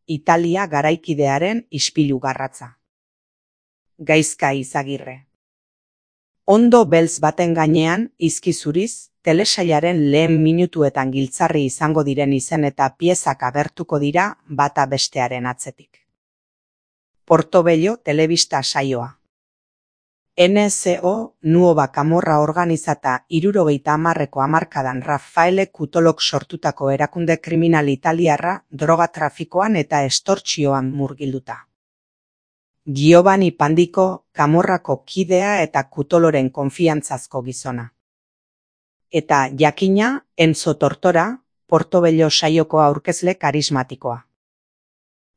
Italia garaikidearen ispilu garratza. Gaizka Izagirre. Ondo beltz baten gainean, izki zuriz, telesailaren lehen minutuetan giltzarri izango diren izen eta piezak agertuko dira bata bestearen atzetik. Portobello telebista saioa. NSO Nuova Camorra organizata 70ko hamarkadan Raffaele Cutolok sortutako erakunde kriminal italiarra droga trafikoan eta estortsioan murgilduta. Giovanni Pandiko Camorrako kidea eta Cutoloren konfiantzazko gizona. Eta jakina Enzo Tortora, Portobello saioko aurkezle karismatikoa.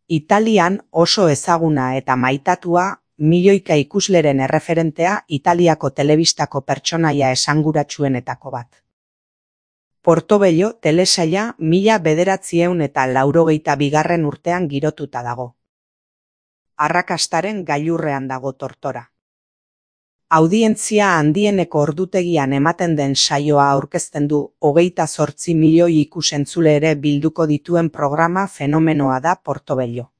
Italian oso ezaguna eta maitatua, milioika ikusleren erreferentea Italiako telebistako pertsonaia esanguratsuenetako bat. Portobello telesaila 1982 urtean girotuta dago. Arrakastaren gailurrean dago Tortora. Audientzia handieneko ordutegian ematen den saioa aurkezten du 28 milioi ikusentzule ere bilduko dituen programa fenomenoa da Portobello.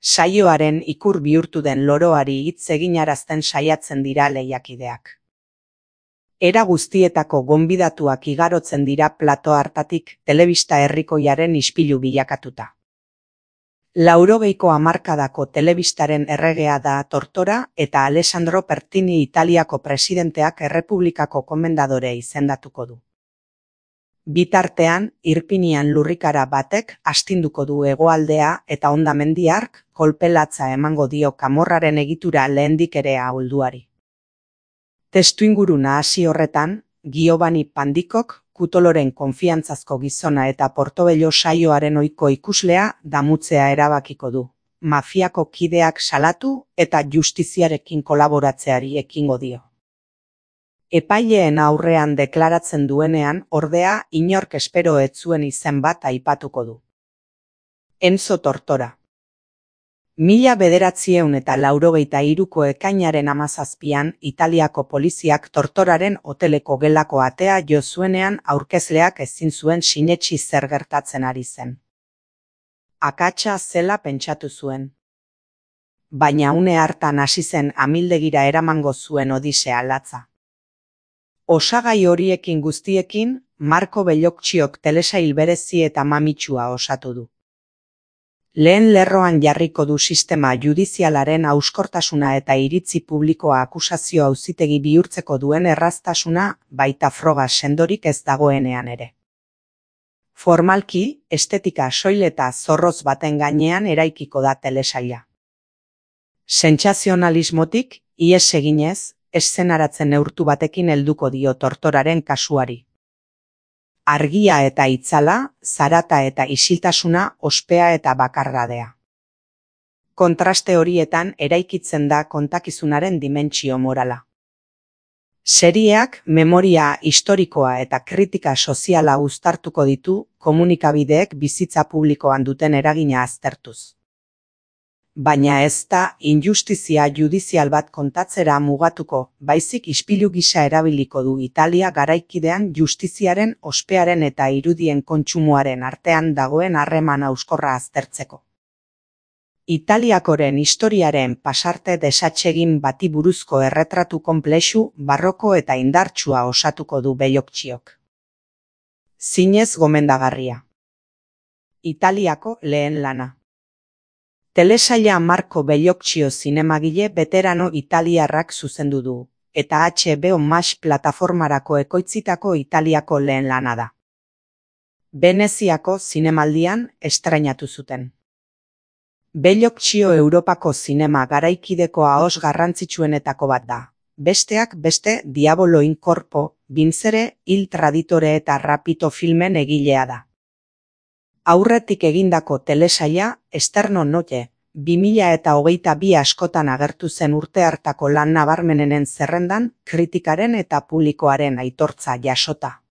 Saioaren ikur bihurtu den loroari hitz eginarazten saiatzen dira lehiakideak. Era guztietako gonbidatuak igarotzen dira plato hartatik telebista herrikoiaren ispilu bilakatuta. 80ko hamarkadako telebistaren erregea da Tortora eta Alessandro Pertini Italiako presidenteak errepublikako komendadore izendatuko du. Bitartean, Irpinian lurrikara batek astinduko du hegoaldea eta hondamendi hark kolpelatza emango dio Camorraren egitura lehendik ere ahulduari. Testuinguru nahasi horretan, Giovanni Pandikok Cutoloren konfiantzazko gizona eta Portobello saioaren ohiko ikuslea damutzea erabakiko du. Mafiako kideak salatu eta justiziarekin kolaboratzeari ekingo dio. Epaileen aurrean deklaratzen duenean, ordea, inork espero ez zuen izen bat aipatuko du. Enzo Tortora. 1983ko ekainaren 17an Italiako poliziak Tortoraren hoteleko gelako atea jo zuenean aurkezleak ezin zuen sinetsi zer gertatzen ari zen. Akatsa zela pentsatu zuen. Baina une hartan hasi zen amildegira eramango zuen odisea latza. Osagai horiekin guztiekin, Marco Bellocchiok telesail berezi eta mamitsua osatu du. Lehen lerroan jarriko du sistema judizialaren hauskortasuna eta iritzi publikoa akusazio auzitegi bihurtzeko duen erraztasuna, baita froga sendorik ez dagoenean ere. Formalki, estetika soil eta zorroz baten gainean eraikiko da telesaila. Sentsazionalismotik, ihes eginez, eszenaratzen neurtu batekin helduko dio Tortoraren kasuari. Argia eta itzala, zarata eta isiltasuna, ospea eta bakardadea. Kontraste horietan eraikitzen da kontakizunaren dimentsio morala. Serieak memoria historikoa eta kritika soziala uztartuko ditu komunikabideek bizitza publikoan duten eragina aztertuz. Baina ez da injustizia judizial bat kontatzera mugatuko, baizik ispilu gisa erabiliko du Italia garaikidean justiziaren, ospearen eta irudien kontsumoaren artean dagoen harreman hauskorra aztertzeko. Italiakoren historiaren pasarte desatsegin bati buruzko erretratu konplexu, barroko eta indartsua osatuko du Bellocchiok. Zinez gomendagarria. Italiako lehen lana. Telesaila Marco Bellocchio zinemagile veterano italiarrak zuzendu du, eta HBO Max plataformarako ekoitzitako Italiako lehen lana da. Veneziako zinemaldian estrainatu zuten. Bellocchio Europako zinema garaikideko ahos garrantzitsuenetako bat da. Besteak beste Diavolo in Corpo, Vincere, Il Traditore eta Rapito filmen egilea da. Aurretik egindako telesaila, Esterno Notte, 2022 askotan agertu zen urte hartako lan nabarmenenen zerrendan, kritikaren eta publikoaren aitortza jasota.